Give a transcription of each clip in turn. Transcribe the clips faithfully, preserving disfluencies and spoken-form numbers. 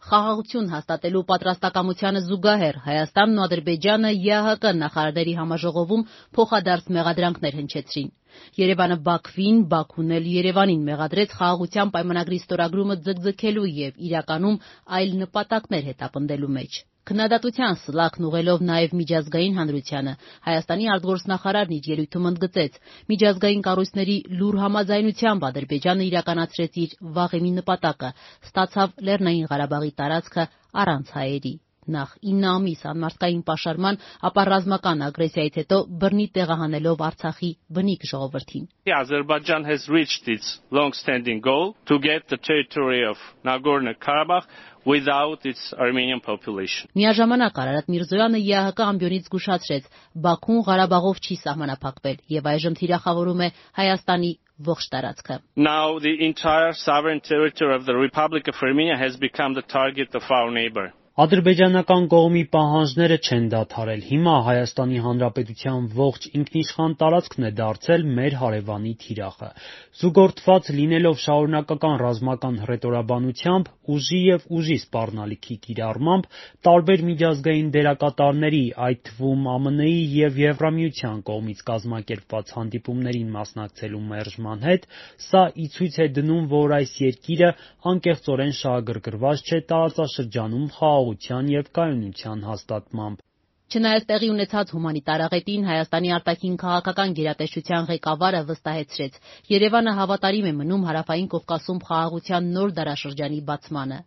Խաղաղություն հաստատելու պատրաստակամությանը զուգահեռ Հայաստանն ու Ադրբեջանը ԵԱՀԿ նախարարների համաժողովում փոխադարձ մեղադրանքներ հնչեցրին։ Երևանը Բաքվին, Բաքուն էլ Երևանին մեղադրեց խաղաղության պայմանագրի ստորագրումը ձգձգելու եւ իրականում այլ նպատակներ հետապնդելու մեջ։ Քննադատության սլաքն ուղղելով նաև միջազգային հանրությանը, Հայաստանի արտգործնախարարն իր ելույթում ընդգծեց, միջազգային կառույցների լուռ համաձայնությամբ Ադրբեջանը իրականացրեց իր վաղեմի նպատակը, ստացավ Լեռնային Ղարաբաղի տարածքը առանց հայերի։ Նախ ինը ամիս անմարդկային պաշարման, ապա ռազմական ագրեսիայից հետո բռնի տեղահանելով Արցախի բնիկ ժողովրդին։ Azerbaijan has reached its long-standing goal to get the territory of Nagorno-Karabakh without its Armenian population. Միաժամանակ Արարատ Միրզոյանը ԵԱՀԿ ամբիոնից զգուշացրեց, Բաքուն Ղարաբաղով չի սահմանափակվել եւ այժմ թիրախավորում է Հայաստանի ողջ տարածքը։ Now the entire sovereign territory of the Republic of Armenia has become the target of our neighbor. Ադրբեջանական կողմի պահանջները չեն դադարել։ Հիմա Հայաստանի Հանրապետության ողջ ինքնիշխան տարածքն է դարձել մեր հարևանի թիրախը։ Զուգորդված լինելով շարունակական ռազմական հռետորաբանությամբ, ուժի եւ ուժի սպառնալիքի կիրառմամբ, տարբեր միջազգային դերակատարների, այդ թվում ԱՄՆ-ի եւ Եվրամիության կողմից կազմակերպված հանդիպումներին մասնակցելու մերժման հետ, սա ի ցույց է դնում, որ այս երկիրը անկեղծորեն շահագրգռված չէ տարածաշրջանում խաղաղության եւ կայունության հաստատմամբ։ Չնայած տեղի ունեցած հումանիտար աղետին, Հայաստանի արտաքին քաղաքական գերատեսչության ղեկավարը վստահեցրեց, Երևանը հավատարիմ է մնում Հարավային Կովկասում խաղաղության նոր դարաշրջանի բացմանը։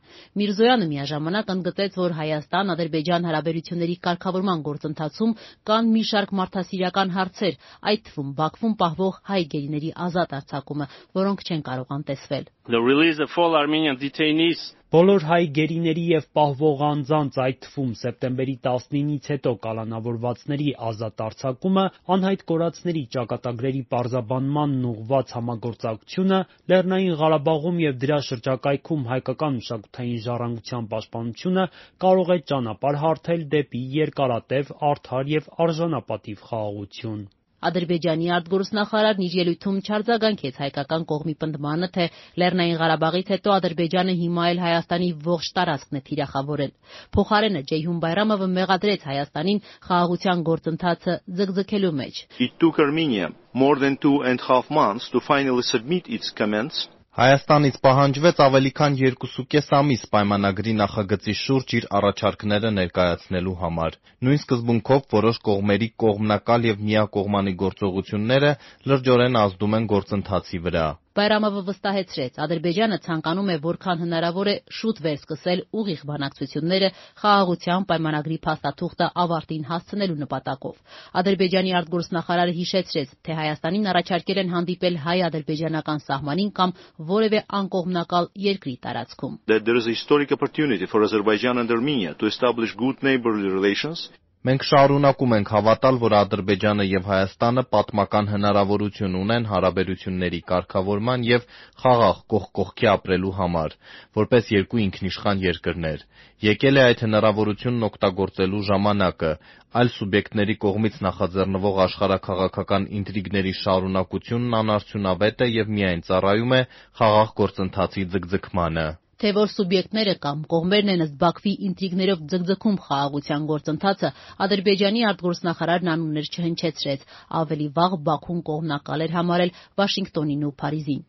Միրզոյանը միաժամանակ ընդգծեց, որ Հայաստան-Ադրբեջան հարաբերությունների կարգավորման գործընթացում կան մի շարք մարդասիրական հարցեր, այդ թվում Բաքվում պահվող հայ գերիների ազատ արձակումը, որոնք չեն կարող անտեսվել։ The release of all Armenian detainees Բոլոր հայ գերիների եւ պահվող անձանց, այդ թվում սեպտեմբերի տասնինից հետո կալանավորվածների ազատ արձակումը, անհայտ կորածների ճակատագրերի պարզաբանմանն ուղղված համագործակցությունը, Լեռնային Ղարաբաղում եւ դրա շրջակայքում հայկական մշակութային ժառանգության պաշտպանությունը կարող է ճանապարհ հարթել դեպի երկարատև, արդար եւ արժանապատիվ խաղաղություն։ Ադրբեջանի արտգործնախարարն իր ելույթում չարձագանքեց հայկական կողմի պնդմանը, թե Լեռնային Ղարաբաղից հետո Ադրբեջանը հիմա էլ Հայաստանի ողջ տարածքն է թիրախավորել։ Փոխարենը Ջեյհուն Բայրամովը մեղադրեց Հայաստանին խաղաղության գործընթացը ձգձգելու մեջ։ It took Armenia more than two and a half months to finally submit its comments. Հայաստանից պահանջվեց ավելի քան երկուսուկես ամիս պայմանագրի նախագծի շուրջ իր առաջարկները ներկայացնելու համար։ Նույն սկզբունքով որոշ կողմերի կողմնակալ եւ միակողմանի գործողությունները լրջորեն ազդում են գործընթացի վրա։ Բայրամովը վստահեցրեց, Ադրբեջանը ցանկանում է որքան հնարավոր է շուտ վերսկսել ուղիղ բանակցությունները խաղաղության պայմանագրի փաստաթուղթը ավարտին հասցնելու նպատակով։ Ադրբեջանի արտգործնախարարը հիշեցրեց, թե Հայաստանին առաջարկել են հանդիպել հայ-ադրբեջանական սահմանին կամ որևէ անկողմնակալ երկրի տարածքում։ That there is a historic opportunity for Azerbaijan and Armenia to establish good neighborly relations. Մենք շարունակում ենք հավատալ, որ Ադրբեջանը եւ Հայաստանը պատմական հնարավորություն ունեն հարաբերությունների կարգավորման եւ խաղաղ կողք կողքի ապրելու համար, որպես երկու ինքնիշխան երկրներ։ Եկել է այդ հնարավորությունն օգտագործելու ժամանակը, այլ սուբյեկտների կողմից նախաձեռնվող աշխարհաքաղաքական ինտրիգների շարունակությունն անարդյունավետ է եւ միայն ծառայում է խաղաղ գործընթացի ձգձգմանը։ Թե որ սուբյեկտները կամ կողմերն են ըստ Բաքվի ինտրիգներով ձգձգում խաղաղության գործընթացը, Ադրբեջանի արտգործնախարարն անուններ չհնչեցրեց, ավելի վաղ Բաքուն կողմնակալ էր համարել Վաշինգտոնին ու Փարիզին։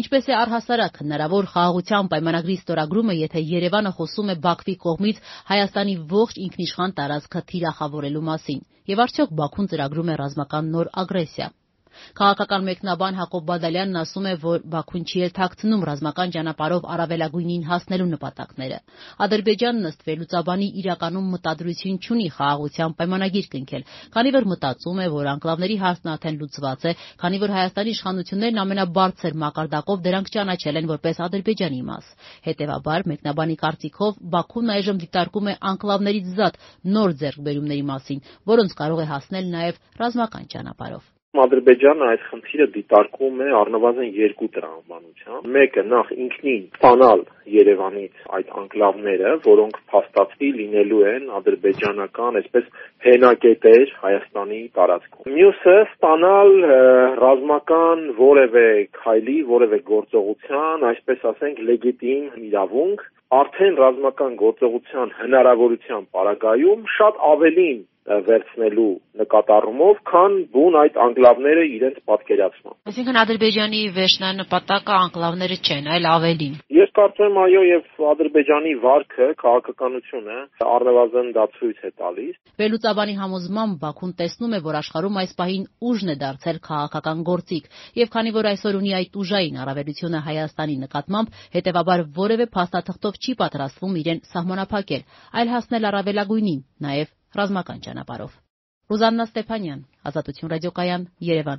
Ինչպես է առհասարակ հնարավոր խաղաղության պայմանագրի ստորագրումը, եթե Երևանը խոսում է Բաքվի կողմից Հայաստանի ողջ ինքնիշխան տարածքը թիրախավորելու մասին, եւ արդյոք Բաքուն ծրագրում է ռազմական նոր ագրեսիա։ Քաղաքական մեկնաբան Հակոբ Բադալյանն ասում է, որ Բաքուն չի էլ թաքցնում ռազմական ճանապարհով առավելագույնին հասնելու նպատակները։ Ադրբեջանն ըստ վերլուծաբանի իրականում մտադրություն չունի խաղաղության պայմանագիր կնքել, քանի որ մտածում է, որ անկլավների հարցն արդեն լուծված է, քանի որ Հայաստանի իշխանություններն ամենաբարձր մակարդակով դրանք ճանաչել են որպես Ադրբեջանի մաս։ Հետևաբար, մեկնաբանի կարծիքով Բաքուն այժմ դիտարկում է անկլավներից զատ նոր ձեռքբերումների մասին, որոնց կարող է հասնել նաև ռազմական ճանապարհով։ Ադրբեջանը այս խնդիրը դիտարկում է առնվազն երկու տրամաբանությամբ։ Մեկը նախ ինքնին ստանալ Երևանից այդ անկլավները, որոնք փաստացի լինելու են ադրբեջանական, այսպես հենակետեր Հայաստանի տարածքում։ Մյուսը ստանալ ռազմական որևէ քայլի, որևէ գործողության, այսպես ասենք, լեգիտիմ իրավունք, արդեն ռազմական գործողության հնարավորության պարագայում շատ ավելին վերցնելու նկատառումով, քան բուն այդ անկլավները իրենց պատկերացման։ Այսինքն Ադրբեջանի վերջնանպատակը անկլավները չեն, այլ ավելին։ Ես կարծում եմ, այո, եւ Ադրբեջանի վարքը, քաղաքականությունը առնվազն դա ցույց է տալիս։ Վերլուծաբանի համոզմամբ Բաքուն տեսնում է, որ աշխարհում այս պահին ուժն է դարձել քաղաքական գործիք, եւ քանի որ այսօր ունի այդ ուժային առավելությունը Հայաստանի նկատմամբ, հետեւաբար որևէ փաստաթղթով չի պատրաստվում իրեն սահմանափակել, այլ հասնել առավելագույնին, նաեւ ռազմական ճանապարհով։ Ռուզաննա Ստեփանյան, Ազատություն ռադիոկայան, Երևան։